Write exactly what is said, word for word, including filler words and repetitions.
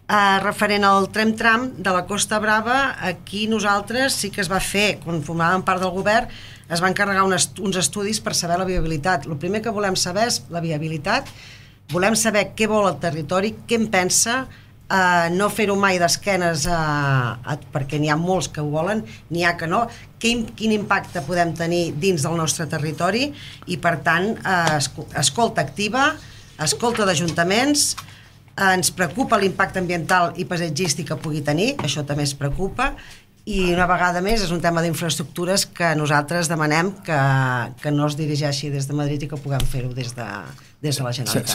Uh, referent al tram-tram de la Costa Brava, aquí nosaltres sí que es va fer, quan formàvem part del govern, es van encarregar un est uns estudis per saber la viabilitat. El primer que volem saber és la viabilitat, volem saber què vol el territori, què en pensa, uh, no fer-ho mai d'esquenes, uh, uh, perquè n'hi ha molts que ho volen, n'hi ha que no, quin, quin impacte podem tenir dins del nostre territori i, per tant, uh, escolta activa, escolta d'ajuntaments, ens preocupa l'impacte ambiental i paisatgístic que pugui tenir, això també es preocupa, i una vegada més és un tema d'infraestructures que nosaltres demanem que, que no es dirigeixi des de Madrid i que puguem fer-ho des de, des de la Generalitat.